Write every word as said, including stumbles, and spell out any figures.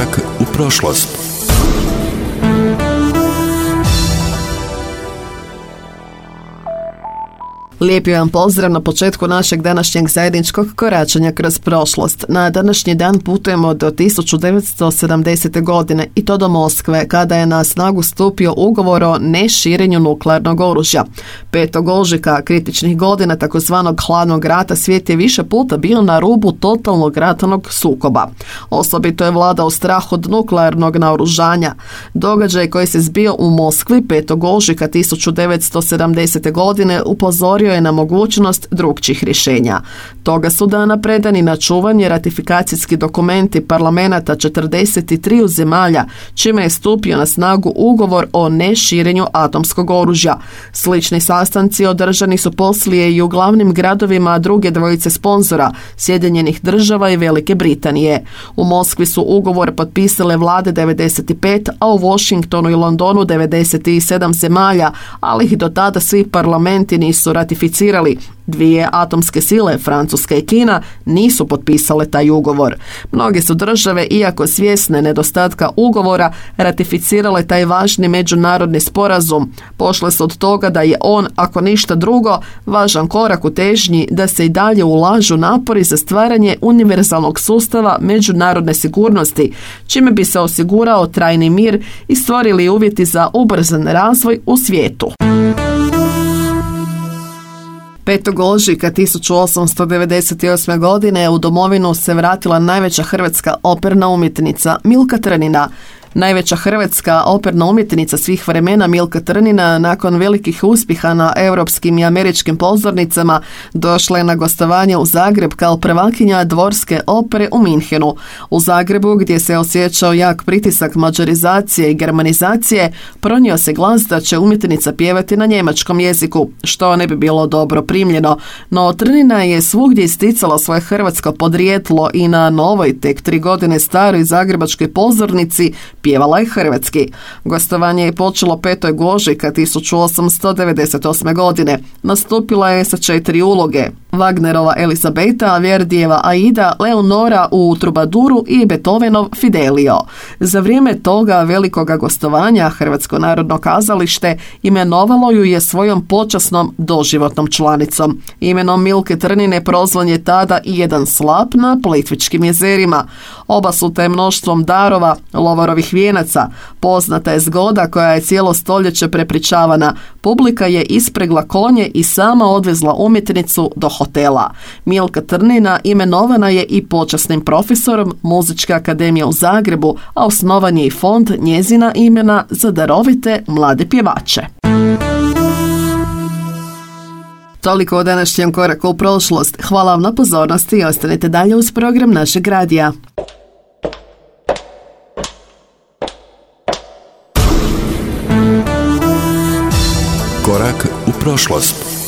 Korak u prošlost. Lijepi vam pozdrav na početku našeg današnjeg zajedničkog koračanja kroz prošlost. Na današnji dan putujemo do tisuću devetsto sedamdesete. godine i to do Moskve, kada je na snagu stupio ugovor o neširenju nuklearnog oružja. petog ožujka kritičnih godina takozvanog hladnog rata svijet je više puta bio na rubu totalnog ratnog sukoba. Osobito je vladao strah od nuklearnog naoružanja. Događaj koji se zbio u Moskvi petog ožujka tisuću devetsto sedamdesete. godine upozorio je na mogućnost drukčijih rješenja. Toga su dana predani na čuvanje ratifikacijski dokumenti parlamenata četrdeset tri zemalja, čime je stupio na snagu ugovor o neširenju atomskog oružja. Slični sastanci održani su poslije i u glavnim gradovima druge dvojice sponzora, Sjedinjenih država i Velike Britanije. U Moskvi su ugovor potpisale vlade devedeset pet, a u Washingtonu i Londonu devedeset sedam zemalja, ali ih do tada svi parlamenti nisu ratificirali. Dvije atomske sile, Francuska i Kina, nisu potpisale taj ugovor. Mnoge su države, iako svjesne nedostatka ugovora, ratificirale taj važni međunarodni sporazum. Pošle su od toga da je on, ako ništa drugo, važan korak u težnji da se i dalje ulažu napori za stvaranje univerzalnog sustava međunarodne sigurnosti, čime bi se osigurao trajni mir i stvorili uvjeti za ubrzan razvoj u svijetu. petog ožujka tisuću osamsto devedeset osme. godine u domovinu se vratila najveća hrvatska operna umjetnica Milka Trnina. Najveća hrvatska operna umjetnica svih vremena Milka Trnina nakon velikih uspjeha na europskim i američkim pozornicama došla je na gostovanje u Zagreb kao prvakinja dvorske opere u Minhenu. U Zagrebu, gdje se osjećao jak pritisak mađarizacije i germanizacije, pronio se glas da će umjetnica pjevati na njemačkom jeziku, što ne bi bilo dobro primljeno. No Trnina je svugdje isticala svoje hrvatsko podrijetlo i na novoj, tek tri godine staroj zagrebačkoj pozornici pjevala je hrvatski. Gostovanje je počelo petog ožujka tisuću osamsto devedeset osme. godine. Nastupila je sa četiri uloge: Wagnerova Elizabeta, Verdijeva Aida, Leonora u Trubaduru i Beethovenov Fidelio. Za vrijeme toga velikoga gostovanja Hrvatsko narodno kazalište imenovalo ju je svojom počasnom doživotnom članicom. Imenom Milke Trnine prozvan je tada i jedan slap na Plitvičkim jezerima. Oba su te mnoštvom darova, lovorovih vijenaca. Poznata je zgoda koja je cijelo stoljeće prepričavana. Publika je ispregla konje i sama odvezla umjetnicu do hotela. Milka Trnina imenovana je i počasnim profesorom Muzičke akademije u Zagrebu, a osnovan je i fond njezina imena za darovite mlade pjevače. Toliko o današnjem koraku u prošlost. Hvala vam na pozornosti i ostanite dalje uz program našeg radija. Korak u prošlost.